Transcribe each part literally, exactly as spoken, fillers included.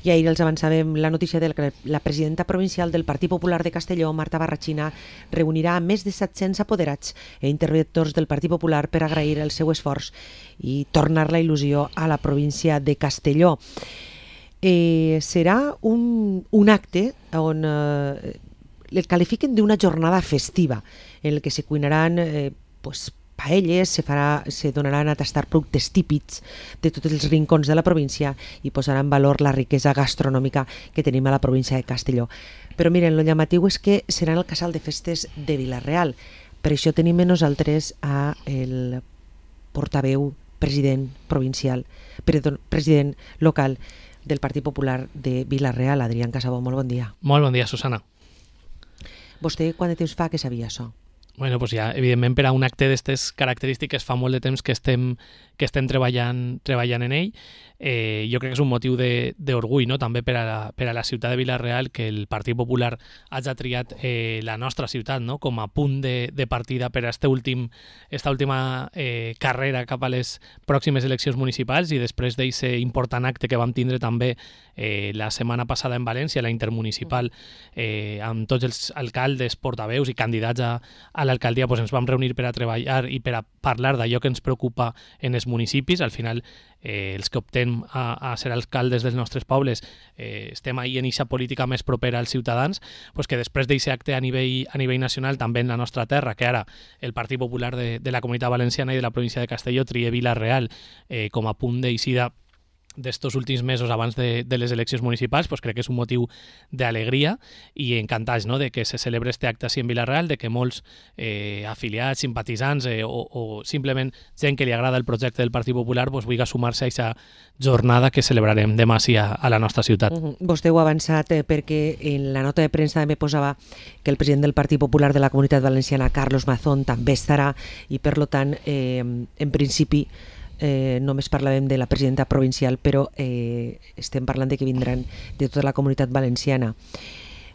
I ahir els avançàvem la notícia de que la presidenta provincial del Partit Popular de Castelló, Marta Barrachina, reunirà més de set-cents apoderats i interventors del Partit Popular per agrair el seu esforç i tornar la il·lusió a la província de Castelló. Eh, serà un, un acte on eh, el qualifiquen d'una jornada festiva en què se cuinaran eh, pues, paelles, se, farà, se donaran a tastar productes típics de tots els rincons de la província i posarà en valor la riquesa gastronòmica que tenim a la província de Castelló. Però miren, el llamatiu és que serà en el casal de festes de Vila-real. Per això tenim amb nosaltres a el portaveu, president provincial, perdó, president local del Partit Popular de Vila-real, Adrián Casabó. Molt bon dia. Molt bon dia, Susana. Vostè quant de temps fa que sabia això? Bueno, pues ja, evidentment, per a un acte d'aquestes característiques fa molt de temps que estem, que estem treballant, treballant en ell. Eh, jo crec que és un motiu d'orgull, no? També per a, la, per a la ciutat de Vila-real, que el Partit Popular hagi triat eh, la nostra ciutat, no? Com a punt de, de partida per a este últim, esta última eh, carrera cap a les pròximes eleccions municipals, i després d'aquest important acte que vam tindre també eh, la setmana passada en València, la intermunicipal, eh, amb tots els alcaldes, portaveus i candidats a, a l'alcaldia, pues ens vam reunir per a treballar i per a parlar d'allò que ens preocupa en els municipis. Al final, eh, els que optem a, a ser alcaldes dels nostres pobles eh, estem ahí en eixa política més propera als ciutadans, pues que després d'aquest acte a nivell, a nivell nacional, també en la nostra terra, que ara el Partit Popular de, de la Comunitat Valenciana i de la província de Castelló trie Vila-real eh, com a punt d'eixida d'estos últims mesos abans de, de les eleccions municipals, pues crec que és un motiu d'alegria i encantats, no?, de que se celebre este acte així en Vila-real, de que molts eh, afiliats, simpatitzants eh, o, o simplement gent que li agrada el projecte del Partit Popular pues, vulgui sumar-se a aquesta jornada que celebrarem demà sí a, a la nostra ciutat. Uh-huh. Vostè ho ha avançat eh, perquè en la nota de premsa també posava que el president del Partit Popular de la Comunitat Valenciana, Carlos Mazón, també estarà i per tant, eh, en principi, Eh, només parlàvem de la presidenta provincial, però eh, estem parlant de que vindran de tota la comunitat valenciana.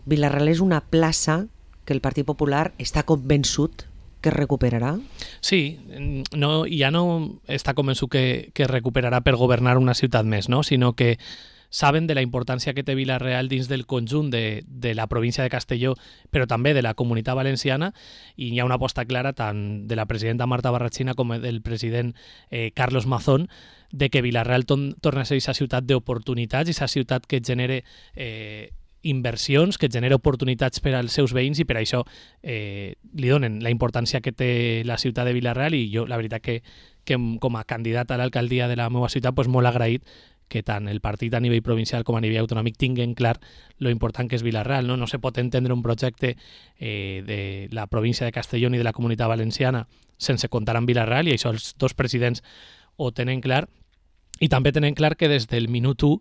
Vila-real és una plaça que el Partit Popular està convençut que es recuperarà? Sí, no, ja no està convençut que, que es recuperarà per governar una ciutat més, no? Sinó que saben de la importància que té Vila-real dins del conjunt de, de la província de Castelló, però també de la comunitat valenciana, i hi ha una aposta clara tant de la presidenta Marta Barrachina com del president eh, Carlos Mazón de que Vila-real ton, torna a ser aquesta ciutat d'oportunitats, aquesta ciutat que genere eh, inversions, que genera oportunitats per als seus veïns, i per això eh, li donen la importància que té la ciutat de Vila-real, i jo la veritat que, que com a candidat a l'alcaldia de la meva ciutat pues, molt agraït que tant el partit a nivell provincial com a nivell autonòmic tinguen clar lo important que és Vila-real. No, no se pot entendre un projecte eh, de la província de Castelló ni de la comunitat valenciana sense comptar amb Vila-real, i això els dos presidents ho tenen clar. I també tenen clar que des del minut u,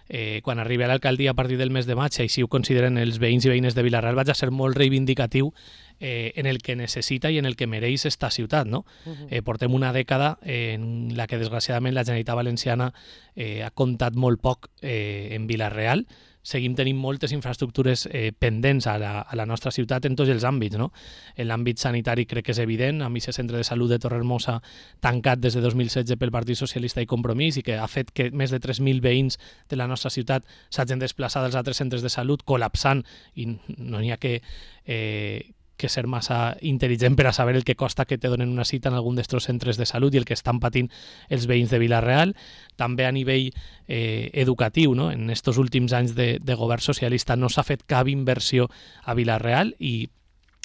eh, quan arribi a l'alcaldia a partir del mes de maig, així ho consideren els veïns i veïnes de Vila-real, vaig a ser molt reivindicatiu eh, en el que necessita i en el que mereix esta ciutat, no? Uh-huh. eh, portem una dècada en la que desgraciadament la Generalitat Valenciana eh, ha comptat molt poc eh, en Vila-real. Seguim tenint moltes infraestructures eh, pendents a la, a la nostra ciutat en tots els àmbits, no? En l'àmbit sanitari crec que és evident, amb aquest centre de salut de Torrehermosa tancat des de dos mil setze pel Partit Socialista i Compromís, i que ha fet que més de tres mil veïns de la nostra ciutat s'hagin desplaçat als altres centres de salut col·lapsant, i no n'hi ha que... Eh, que ser massa intel·ligent per a saber el que costa que te donen una cita en algun d'estos centres de salut i el que estan patint els veïns de Vila-real. També a nivell eh, educatiu, no? En estos últims anys de, de govern socialista no s'ha fet cap inversió a Vila-real, i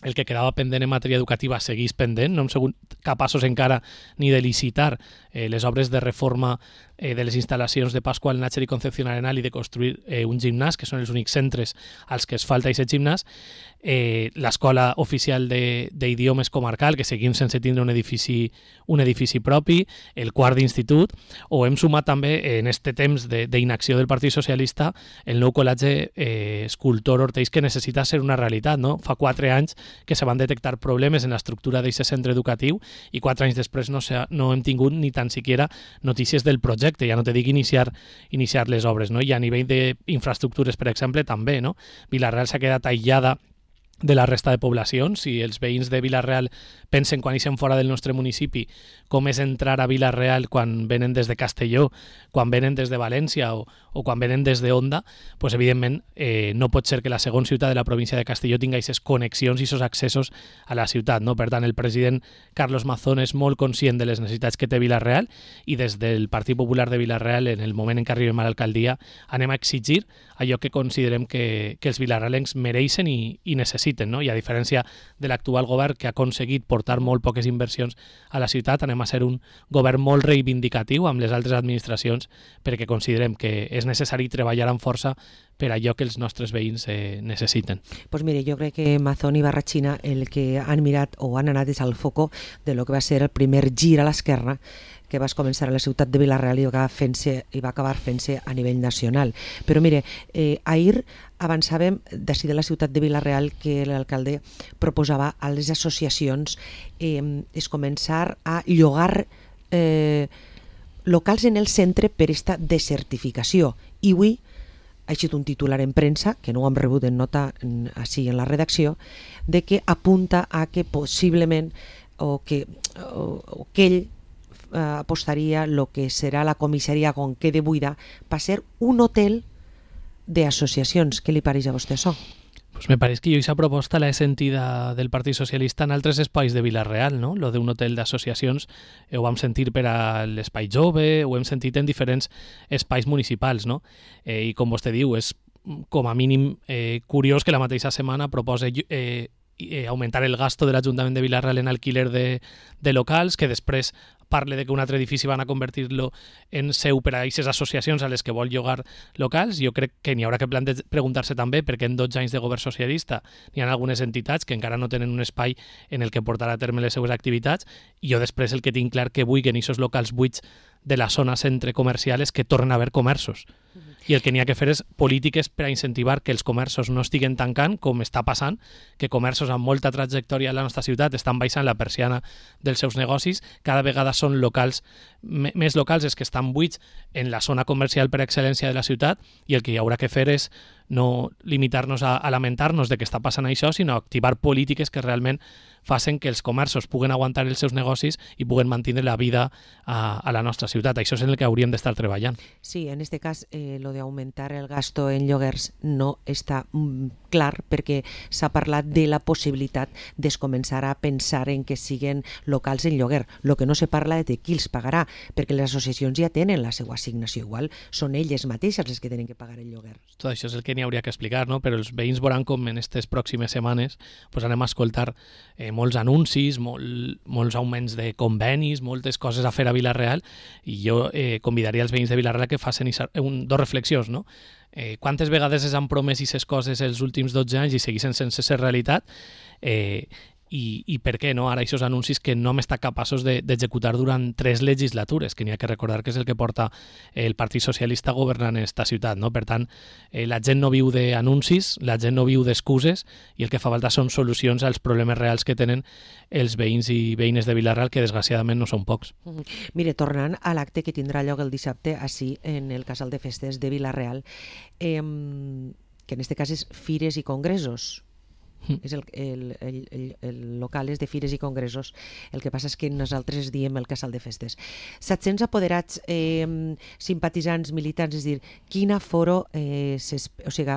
el que quedava pendent en matèria educativa segueix pendent. No hem sigut capaços encara ni de licitar eh, les obres de reforma eh, de les instal·lacions de Pascual Nácher i Concepción Arenal i de construir eh, un gimnàs, que són els únics centres als que es falta aquest gimnàs. Eh, l'escola oficial d'idiomes comarcal, que seguim sense tindre un edifici, un edifici propi, el quart d'institut, o hem sumat també en este temps d'inacció de, del Partit Socialista el nou col·legi eh, Escultor Ortells, que necessita ser una realitat, no? Fa quatre anys que se van detectar problemes en l'estructura d'aquest centre educatiu, i quatre anys després no, se, no hem tingut ni tan siquiera notícies del projecte, ja no te dic iniciar, iniciar les obres, no? I a nivell d'infraestructures, per exemple, també, no? Vila-real s'ha quedat aïllada de la resta de poblacions. Si els veïns de Vila-real pensen quan ixen fora del nostre municipi com és entrar a Vila-real quan venen des de Castelló, quan venen des de València o, o quan venen des de Onda, pues, evidentment eh, no pot ser que la segona ciutat de la província de Castelló tinga aquestes connexions i aquests accessos a la ciutat, no? Per tant, el president Carlos Mazón és molt conscient de les necessitats que té Vila-real i des del Partit Popular de Vila-real, en el moment en què arribem a l'alcaldia, anem a exigir allò que considerem que, que els vilarrealencs mereixen i, i necessiten, no? I a diferència de l'actual govern, que ha aconseguit portar molt poques inversions a la ciutat, anem a ser un govern molt reivindicatiu amb les altres administracions, perquè considerem que és necessari treballar amb força per allò que els nostres veïns eh, necessiten. Pues mire, jo crec que Mazón i Barrachina el que han mirat o han anat és al foco de lo que va ser el primer gir a l'esquerra que va començar a la ciutat de Vila-real i va, fent-se, i va acabar fent-se a nivell nacional. Però mire, eh, ahir avançàvem d'ací de la ciutat de Vila-real que l'alcalde proposava a les associacions eh, és començar a llogar eh, locals en el centre per esta desertificació. I avui ha eixit un titular en premsa, que no ho hem rebut en nota així en la redacció, de que apunta a que possiblement o que, o, o que ell eh, apostaria el que serà la comissaria quan quede buida per ser un hotel d'associacions. Què li pareix a vostè això? Pues me pareix que jo aquesta proposta l'he sentida del Partit Socialista en altres espais de Vila-real, no? Lo d'un hotel d'associacions eh, ho vam sentir per a l'Espai Jove, ho hem sentit en diferents espais municipals, no? Eh, I com vostè diu, és com a mínim eh, curiós que la mateixa setmana proposa eh, eh, augmentar el gasto de l'Ajuntament de Vila-real en alquiler de, de locals, que després parle de que un altre edifici van a convertir-lo en seu per a aquestes associacions a les que vol llogar locals. Jo crec que n'hi haurà que preguntar-se també perquè en dotze anys de govern socialista n'hi ha algunes entitats que encara no tenen un espai en el que portar a terme les seues activitats i jo després el que tinc clar que vull que en aquests locals buits de la zona centre comercial és que tornen a haver comerços. I el que n'hi ha que fer és polítiques per a incentivar que els comerços no estiguen tancant, com està passant, que comerços amb molta trajectòria a la nostra ciutat estan baixant la persiana dels seus negocis, cada vegada són locals, més locals els que estan buits en la zona comercial per excel·lència de la ciutat, i el que hi haurà que fer és no limitar-nos a, a lamentar-nos de que està passant això, sinó activar polítiques que realment facin que els comerços puguen aguantar els seus negocis i puguen mantenir la vida a, a la nostra ciutat. Això és en el que hauríem d'estar treballant. Sí, en aquest cas, eh, lo de aumentar el gasto en lloguers no està mm, clar perquè s'ha parlat de la possibilitat de començar a pensar en que siguen locals en lloguer. Lo que no se parla és de qui els pagarà, perquè les associacions ja tenen la seva assignació. Igual són elles mateixes les que tenen que pagar el lloguer. Tot això és el que n'hi hauria que explicar, no? Però els veïns veuran com en aquestes pròximes setmanes pues anem a escoltar eh, molts anuncis, molt, molts augments de convenis, moltes coses a fer a Vila-real, i jo eh, convidaria els veïns de Vila-real que facin un, dos reflexions, no? Eh, quantes vegades es han promès aquestes coses els últims dotze anys i segueixen sense ser realitat, eh, i, i per què no ara aquests anuncis que no hem estat capaços d'executar de, durant tres legislatures, que n'hi ha que recordar que és el que porta el Partit Socialista governant en esta ciutat, no? Per tant, eh, la gent no viu d'anuncis, la gent no viu d'excuses, i el que fa falta són solucions als problemes reals que tenen els veïns i veïnes de Vila-real, que desgraciadament no són pocs. Mire, tornant a l'acte que tindrà lloc el dissabte així en el Casal de Festes de Vila-real, eh, que en aquest cas és Fires i Congressos. És el, el, el, el, el local és de Fires i Congressos, el que passa és que nosaltres diem el Casal de Festes. set-cents apoderats, eh, simpatitzants, militants, és a dir, quin aforo, eh, o sigui,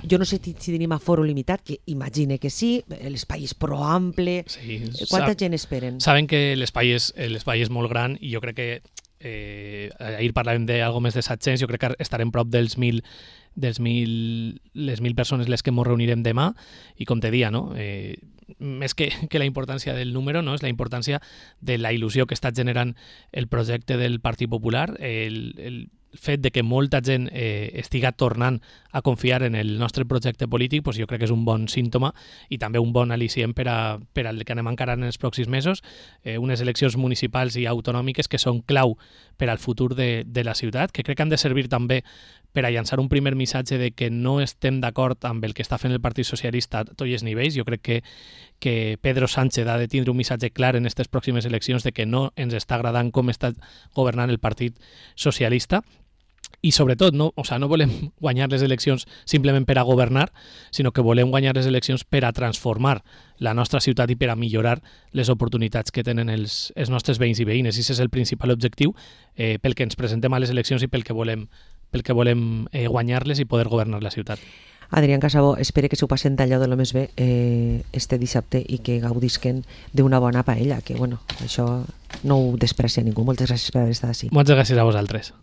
jo no sé si tenim aforo limitat, que imagine que sí, l'espai és prou ample, sí, quanta sab, gent esperen? Saben que l'espai és, l'espai és molt gran i jo crec que eh, ahir parlàvem d'algo més de set-cents, jo crec que estarem prop dels mil dels mil, les mil persones les que ens reunirem demà, i com te dia, no? Eh, més que, que la importància del número, no? És la importància de la il·lusió que està generant el projecte del Partit Popular, el, el fet de que molta gent eh, estiga tornant a confiar en el nostre projecte polític, pues jo crec que és un bon símptoma i també un bon al·licient per a, per al que anem encarant en els pròxims mesos, eh, unes eleccions municipals i autonòmiques que són clau per al futur de, de la ciutat, que crec que han de servir també per a llançar un primer missatge de que no estem d'acord amb el que està fent el Partit Socialista a tots els nivells. Jo crec que, que Pedro Sánchez ha de tindre un missatge clar en aquestes pròximes eleccions de que no ens està agradant com està governant el Partit Socialista. i sobretot no, o sea, no volem guanyar les eleccions simplement per a governar, sinó que volem guanyar les eleccions per a transformar la nostra ciutat i per a millorar les oportunitats que tenen els, els nostres veïns i veïnes. I aquest és el principal objectiu eh, pel que ens presentem a les eleccions i pel que volem, pel que volem eh, guanyar-les i poder governar la ciutat. Adrián Casabó, espero que s'ho passen d'allò de lo més bé eh, este dissabte i que gaudisquen d'una bona paella, que bueno, això no ho desprecia ningú. Moltes gràcies per haver estat així. Moltes gràcies a vosaltres.